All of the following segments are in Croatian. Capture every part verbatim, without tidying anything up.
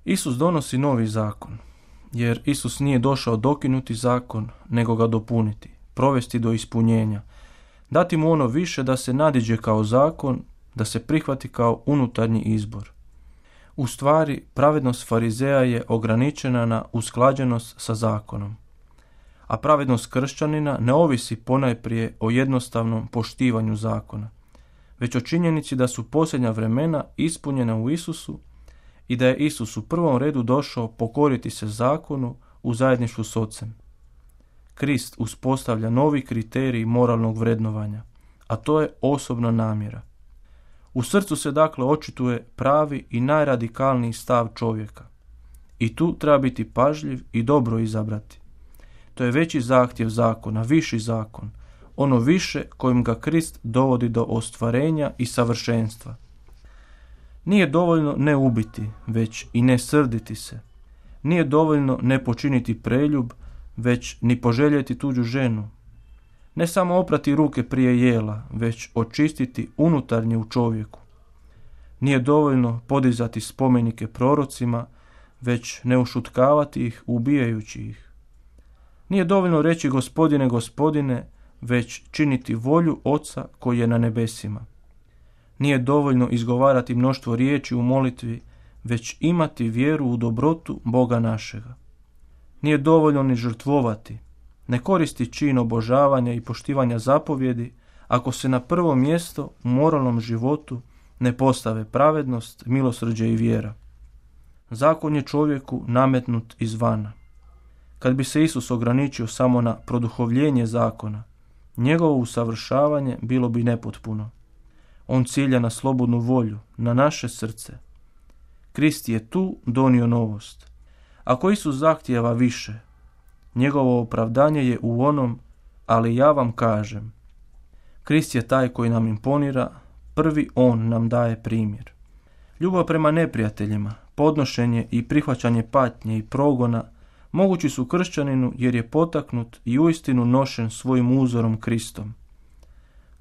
Isus donosi novi zakon, jer Isus nije došao dokinuti zakon, nego ga dopuniti, provesti do ispunjenja, dati mu ono više da se nadiđe kao zakon, da se prihvati kao unutarnji izbor. U stvari, pravednost farizeja je ograničena na usklađenost sa zakonom, a pravednost kršćanina ne ovisi ponajprije o jednostavnom poštivanju zakona, već o činjenici da su posljednja vremena ispunjena u Isusu i da je Isus u prvom redu došao pokoriti se zakonu u zajedništvu s Ocem. Krist uspostavlja novi kriterij moralnog vrednovanja, a to je osobna namjera. U srcu se dakle očituje pravi i najradikalniji stav čovjeka. I tu treba biti pažljiv i dobro izabrati. To je veći zahtjev zakona, viši zakon, ono više kojim ga Krist dovodi do ostvarenja i savršenstva. Nije dovoljno ne ubiti, već i ne srditi se. Nije dovoljno ne počiniti preljub, već ni poželjeti tuđu ženu. Ne samo oprati ruke prije jela, već očistiti unutarnje u čovjeku. Nije dovoljno podizati spomenike prorocima, već ne ušutkavati ih ubijajući ih. Nije dovoljno reći Gospodine, Gospodine, već činiti volju Oca koji je na nebesima. Nije dovoljno izgovarati mnoštvo riječi u molitvi, već imati vjeru u dobrotu Boga našega. Nije dovoljno ni žrtvovati, ne koristi čin obožavanja i poštivanja zapovjedi ako se na prvo mjesto u moralnom životu ne postave pravednost, milosrđe i vjera. Zakon je čovjeku nametnut izvana. Kad bi se Isus ograničio samo na produhovljenje zakona, njegovo usavršavanje bilo bi nepotpuno. On cilja na slobodnu volju, na naše srce. Krist je tu donio novost. Ako Isus zahtijeva više, njegovo opravdanje je u onom, ali ja vam kažem. Krist je taj koji nam imponira, prvi on nam daje primjer. Ljubav prema neprijateljima, podnošenje i prihvaćanje patnje i progona mogući su kršćaninu jer je potaknut i uistinu nošen svojim uzorom Kristom.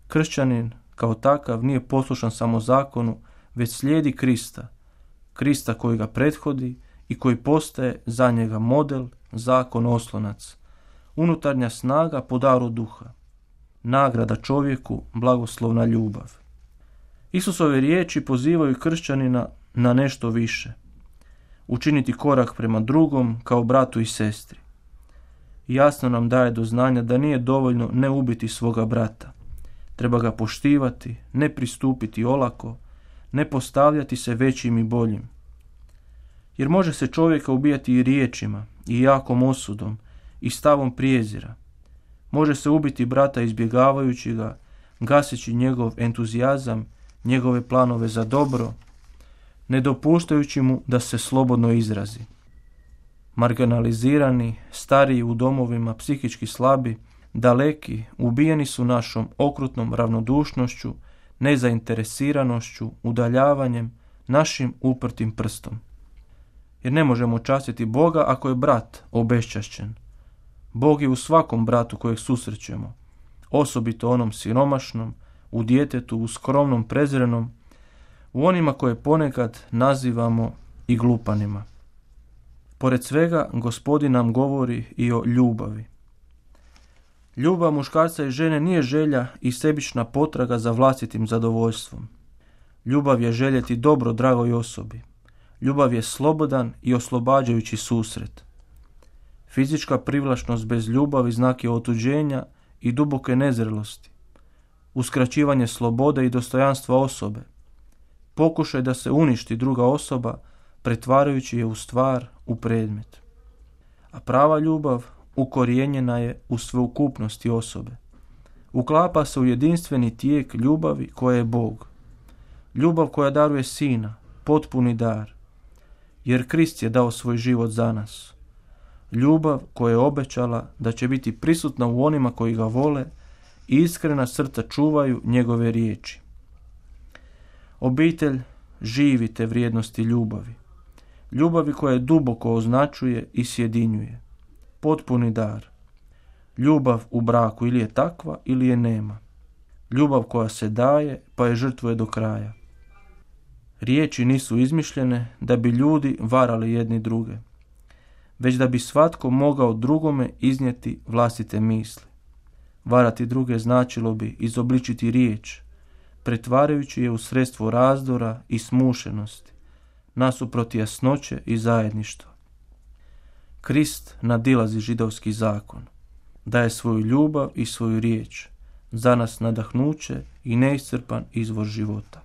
Kršćanin kao takav nije poslušan samo zakonu, već slijedi Krista, Krista koji ga prethodi i koji postaje za njega model, zakon oslonac, unutarnja snaga po daru duha, nagrada čovjeku, blagoslovna ljubav. Isusove riječi pozivaju kršćanina na nešto više, učiniti korak prema drugom kao bratu i sestri. Jasno nam daje do znanja da nije dovoljno ne ubiti svoga brata. Treba ga poštivati, ne pristupiti olako, ne postavljati se većim i boljim. Jer može se čovjeka ubijati i riječima, i jakom osudom, i stavom prijezira. Može se ubiti brata izbjegavajući ga, gaseći njegov entuzijazam, njegove planove za dobro, ne dopuštajući mu da se slobodno izrazi. Marginalizirani, stariji u domovima, psihički slabi, daleki, ubijeni su našom okrutnom ravnodušnošću, nezainteresiranošću, udaljavanjem, našim uprtim prstom. Jer ne možemo častiti Boga ako je brat obeščašćen. Bog je u svakom bratu kojeg susrećemo, osobito onom siromašnom, u djetetu, u skromnom, prezrenom, u onima koje ponekad nazivamo i glupanima. Pored svega, Gospodin nam govori i o ljubavi. Ljubav muškarca i žene nije želja i sebična potraga za vlastitim zadovoljstvom. Ljubav je željeti dobro dragoj osobi. Ljubav je slobodan i oslobađajući susret. Fizička privlačnost bez ljubavi znak je otuđenja i duboke nezrelosti. Uskraćivanje slobode i dostojanstva osobe. Pokušaj da se uništi druga osoba, pretvarajući je u stvar, u predmet. A prava ljubav ukorijenjena je u sveukupnosti osobe. Uklapa se u jedinstveni tijek ljubavi koja je Bog. Ljubav koja daruje sina, potpuni dar. Jer Krist je dao svoj život za nas. Ljubav koja je obećala da će biti prisutna u onima koji ga vole i iskrena srca čuvaju njegove riječi. Obitelj živi te vrijednosti ljubavi. Ljubavi koja je duboko označuje i sjedinjuje. Potpuni dar. Ljubav u braku ili je takva ili je nema. Ljubav koja se daje pa je žrtvuje do kraja. Riječi nisu izmišljene da bi ljudi varali jedni druge, već da bi svatko mogao drugome iznijeti vlastite misli. Varati druge značilo bi izobličiti riječ, pretvarajući je u sredstvo razdora i smušenosti, nasuprot jasnoće i zajedništva. Krist nadilazi židovski zakon, daje svoju ljubav i svoju riječ, za nas nadahnuće i neiscrpan izvor života.